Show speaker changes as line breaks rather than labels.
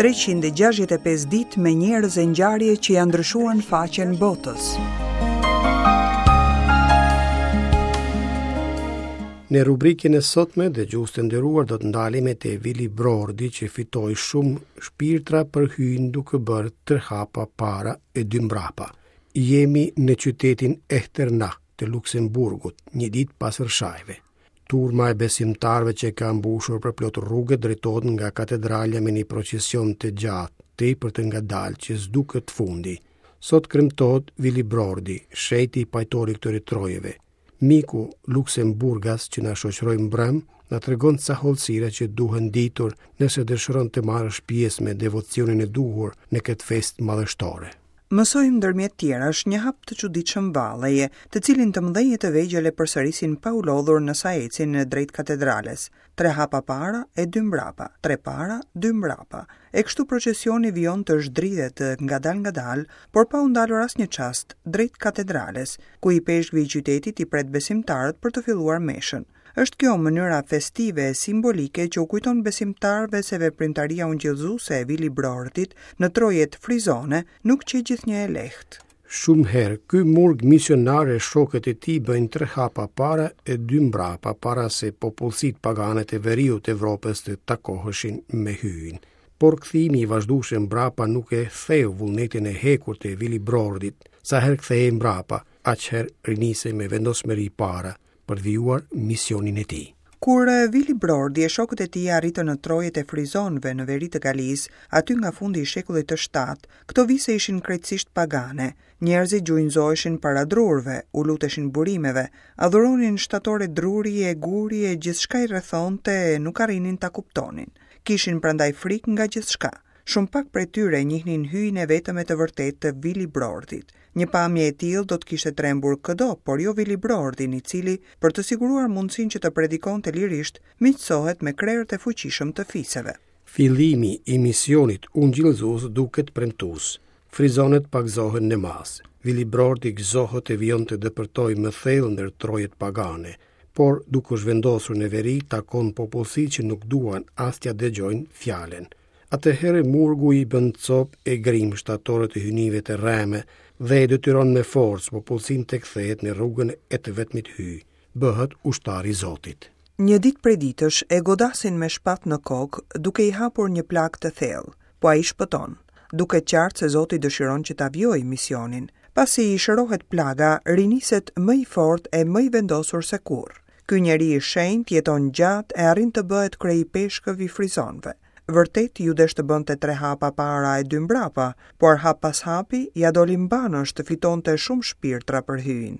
365 ditë me njerëz e ngjarje që ia ndryshuan faqen botës.
Në rubrikën e sotme, dëgjues të nderuar do të ndalemi te Vilibrordi që fitoi shumë shpirtra për Hyjin duke bërë tre hapa para e dy mbrapa. Jemi në qytetin Echternach të Luksemburgut, një ditë pas Rrëshajve. Turma e besimtarëve që ka mbushur përplot rrugët drejtohet nga katedralja me një procesion të gjatë, tepër të ngadaltë që s'duket fundi. Sot kremtohet Vilibrordi, shenjti pajtor i këtyre trojeve. Miku luksemburgas që na shoqëroi mbrëmë, na tregon ca hollësira që duhen ditur nëse dëshiron të marrësh pjesë me devocionin e duhur në këtë festë madhështore.
Mësojmë ndërmjet tjerash një hap të çuditshëm valleje, të cilin të mëdhenj e të vegjël e përsërisin pa u lodhur në sa ecin drejt katedrales. Tre hapa para e dy mbrapa, tre para, dy mbrapa. E kështu procesioni vijon të zhdridhet ngadalë-ngadalë, por pa u ndalur asnjë çast, drejt katedrales, ku ipeshkvi i qytetit i pret besimtarët për të filluar meshën. Është kjo mënyra festive e simbolike që u kujton besimtarëve se veprimtaria ungjillëzuese e Vilibrordit në trojet frizone nuk qe gjithnjë e lehtë.
Shumë herë, ky murg misionar e shokët e tij bëjnë tre hapa para e dy mbrapa para se popullsitë pagane të veriut të Evropës të takoheshin me Hyjin. Por kthimi i vazhdueshëm mbrapa nuk e theu vullnetin e hekurt të Vilibrordit. Sa herë kthehej mbrapa, aq herë rinisej me vendosmëri para, për të vijuar misionin e
tij. Kur Vilibrordi e shokët e tij arritën në trojet e frizonëve në veri të Galisë, aty nga fundi i shekullit të shtatë, këto vise ishin krejtësisht pagane. Njerëzit gjunjëzoheshin para drurëve, u luteshin burimeve, adhuronin shtatore druri e guri e gjithçka i rrethonte e nuk arrinin ta kuptonin. Kishin prandaj frikë nga gjithçka. Shumë pak prej tyre njihnin Hyjin e vetëm e të vërtetë të Vilibrordit. Një pamje e tillë do të kishte trembur këdo, por jo Vilibrordin, i cili, për të siguruar mundësinë që të predikonte lirisht, miqësohet me krerët e fuqishëm të
fiseve. Fillimi i misionit ungjillëzues duket premtues. Frizonët pagëzohen në masë. Vilibrordi gëzohet e vijon të depërtojë më thellë ndër trojet pagane, por duke u zhvendosur në veri takon popullsi që nuk duan as t'ia dëgjojnë fjalën. Atëherë murgu i bën copë e grimë shtatoret e hyjnive të rreme dhe e detyron me forcë popullsinë të kthehet në rrugën e të vetmit Hyj, bëhet ushtar i
Zotit. Një ditë prej ditësh e godasin me shpatë në kokë, duke i hapur një plagë të thellë, po ai shpëton. Duket qartë se Zoti dëshiron që ta vijojë misionin. Pasi i shërohet plaga, riniset më i fortë e më i vendosur se kurrë. Ky njeri i shenjtë jeton gjatë e arrin të bëhet kryeipeshkëv i frizonëve. Vërtet iu desh të bënte tre hapa para e dy mbrapa, por hap pas hapi ia doli mbanësh të fitonte shumë shpirtra për Hyjin.